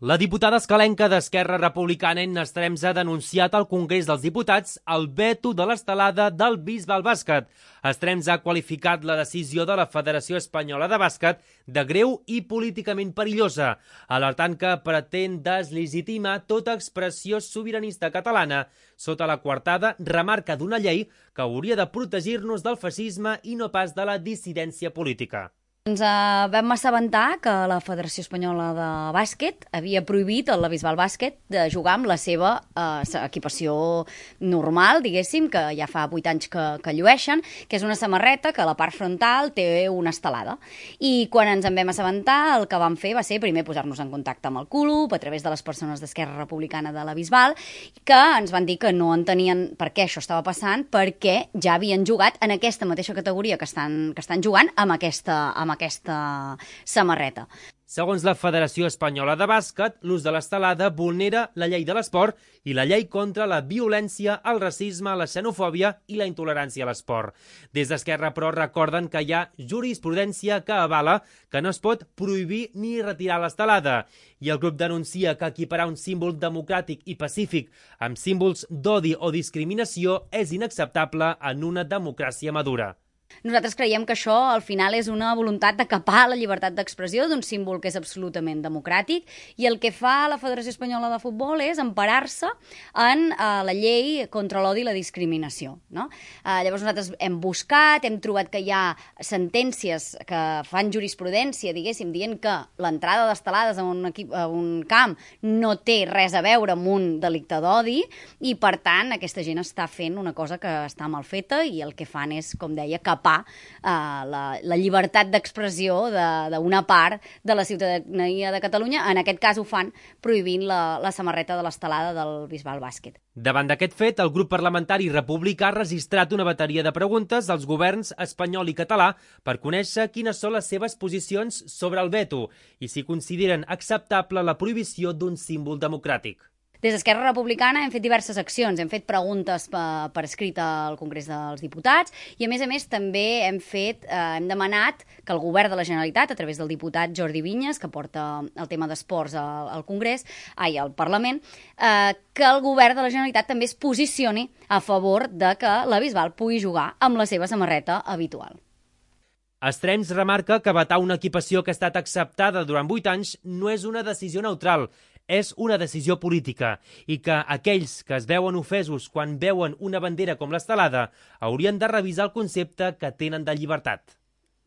La diputada escalenca d'Esquerra Republicana, Enna Estrems, ha denunciat al Congrés dels Diputats el veto de l'estelada del Bisbal Bàsquet. Estrems ha qualificat la decisió de la Federació Espanyola de Bàsquet de greu i políticament perillosa, alertant que pretén deslegitimar tota expressió sobiranista catalana sota la coartada remarca d'una llei que hauria de protegir-nos del feixisme i no pas de la dissidència política. Ens vam assabentar que la Federació Espanyola de Bàsquet havia prohibit la Bisbal Bàsquet de jugar amb la seva equipació normal, diguéssim, que ja fa 8 anys que llueixen, que és una samarreta que a la part frontal té una estelada. I quan ens en vam assabentar, el que vam fer va ser primer posar-nos en contacte amb el club, a través de les persones d'Esquerra Republicana de la Bisbal, que ens van dir que no entenien per què això estava passant, perquè ja havien jugat en aquesta mateixa categoria que estan jugant amb aquesta samarreta. Segons la Federació Espanyola de Bàsquet, l'ús de l'estelada vulnera la llei de l'esport i la llei contra la violència, el racisme, la xenofòbia i la intolerància a l'esport. Des d'Esquerra, però, recorden que hi ha jurisprudència que avala que no es pot prohibir ni retirar l'estelada. I el grup denuncia que equiparar un símbol democràtic i pacífic amb símbols d'odi o discriminació és inacceptable en una democràcia madura. Nosaltres creiem que això al final és una voluntat de capar la llibertat d'expressió d'un símbol que és absolutament democràtic, i el que fa la Federació Espanyola de Futbol és emparar-se en la llei contra l'odi i la discriminació, no? Llavors nosaltres hem buscat, hem trobat que hi ha sentències que fan jurisprudència, diguéssim, dient que l'entrada d'estelades a un camp no té res a veure amb un delicte d'odi, i per tant aquesta gent està fent una cosa que està mal feta, i el que fan és, com deia, capar la llibertat d'expressió d'una part de la ciutadania de Catalunya. En aquest cas ho fan prohibint la samarreta de l'estelada del Bisbal Bàsquet. Davant d'aquest fet, el grup parlamentari republicà ha registrat una bateria de preguntes als governs espanyol i català per conèixer quines són les seves posicions sobre el veto i si consideren acceptable la prohibició d'un símbol democràtic. Des d'Esquerra Republicana hem fet diverses accions, hem fet preguntes per escrit al Congrés dels Diputats, i a més també hem demanat que el govern de la Generalitat, a través del diputat Jordi Vinyes, que porta el tema d'esports al Parlament, que el govern de la Generalitat també es posicioni a favor de que la Bisbal pugui jugar amb la seva samarreta habitual. Estrems remarca que vetar una equipació que ha estat acceptada durant 8 anys no és una decisió neutral, és una decisió política, i que aquells que es veuen ofesos quan veuen una bandera com l'estelada haurien de revisar el concepte que tenen de llibertat.